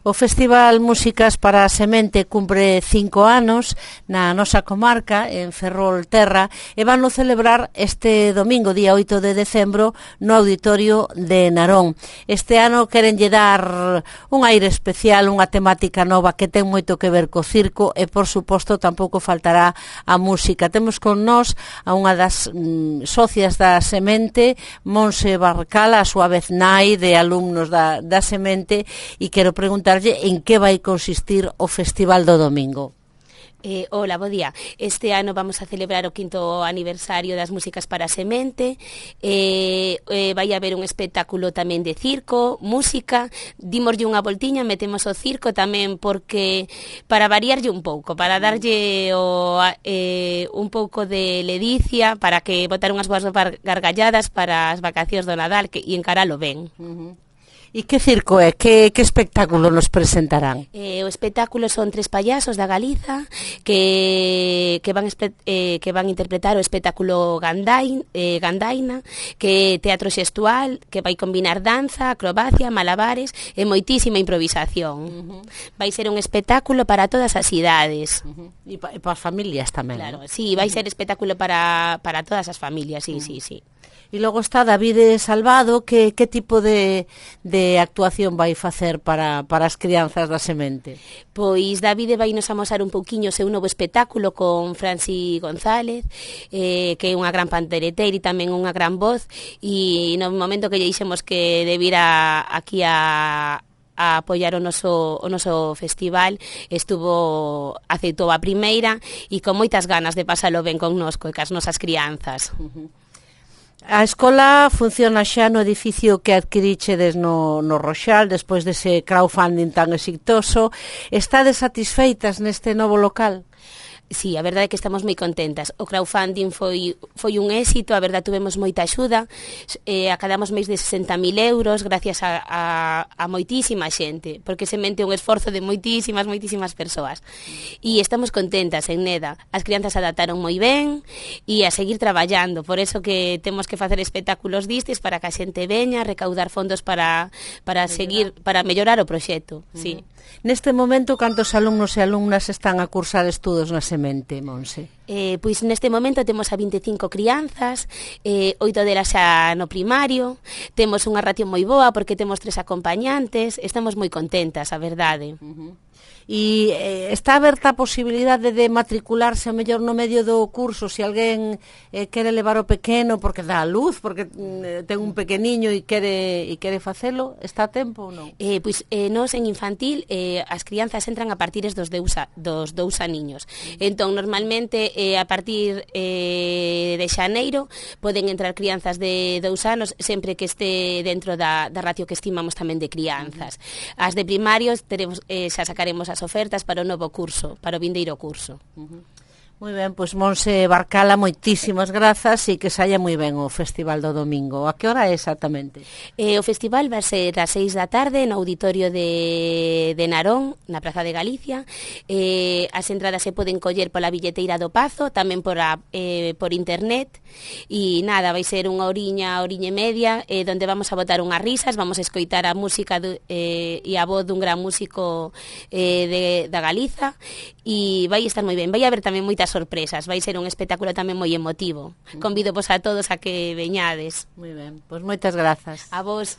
O Festival Músicas para a Semente cumpre 5 anos na nosa comarca, en Ferrolterra, e van a celebrar este domingo, día 8 de decembro, no Auditorio de Narón. Este ano querenlle dar un aire especial, unha temática nova que ten moito que ver co circo e, por suposto, tampouco faltará a música. Temos con nós a unha das socias da Semente, Montse Barcala, a súa vez nai de alumnos da Semente, e quero preguntarlle en que vai consistir o Festival do domingo. Hola, bo día. Este ano vamos a celebrar o 5º aniversario das Músicas para a Semente. Vai haber un espectáculo tamén de circo, música. Dimoslle unha voltiña, metemos o circo tamén porque para variarlle un pouco, para darlle un pouco de ledicia, para que botar unhas boas gargalladas para as vacacións do Nadal e encaralo ben. E que circo é? Que espectáculo nos presentarán? O espectáculo son 3 payasos da Galiza que van interpretar o espectáculo Gandaina, que é teatro xestual, que vai combinar danza, acrobacia, malabares e moitísima improvisación. Vai ser un espectáculo para todas as idades. E para as familias tamén, claro, ¿no? Sí, vai ser espectáculo para todas as familias, sí. E logo está David Salvado, que tipo de actuación vai facer para as crianzas da Semente? Pois David vai nos amosar un pouquiño o seu novo espectáculo con Franci González, que é unha gran pandereteira e tamén unha gran voz, e no momento que lle dixemos que debira aquí a apoiar o noso festival, aceitou a primeira e con moitas ganas de pasalo ben connosco e cas nosas crianzas. A escola funciona xa no edificio que adquirichedes no Roxal, despois dese crowdfunding tan exitoso. Estades satisfeitas neste novo local? Sí, a verdade é que estamos moi contentas. O crowdfunding foi un éxito, a verdade tuvemos moita axuda, acadamos máis de 60.000 euros gracias a moitísima xente, porque semente un esforzo de moitísimas persoas. E estamos contentas en Neda. As crianzas adaptaron moi ben e a seguir traballando, por eso que temos que facer espectáculos distes para que a xente veña, recaudar fondos para mellorar o proxecto, sí. Neste momento, cantos alumnos e alumnas están a cursar estudos na Semente, Monse? Pois neste momento temos a 25 crianzas, 8 delas xa no primario, temos unha ratio moi boa porque temos 3 acompañantes, estamos moi contentas, a verdade. E está aberta a posibilidade de matricularse a mellor no medio do curso se alguén quere levar o pequeno porque dá a luz, porque ten un pequeniño e quere facelo, está a tempo ou non? Pois nos en infantil as crianzas entran a partir dos 2 aniños. Entón normalmente a partir de xaneiro poden entrar crianzas de 2 anos sempre que este dentro da ratio que estimamos tamén de crianzas. As de primarios xa sacaremos as ofertas para o novo curso, para o vindeiro curso. Moi ben, pois Montse Barcala, moitísimas grazas e que saia moi ben o Festival do domingo. A que hora é exactamente? O festival vai ser ás 6 da tarde no Auditorio de Narón, na Praza de Galicia. As entradas se poden coller pola billeteira do Pazo, tamén por internet. E nada, vai ser unha horiña e media, donde vamos a botar unhas risas, vamos a escoitar a música e a voz dun gran músico da Galiza, e vai estar moi ben. Vai haber tamén moitas sorpresas, vai ser un espectáculo tamén moi emotivo. Convido vos a todos a que veñades. Moi ben, pois moitas grazas. A vos.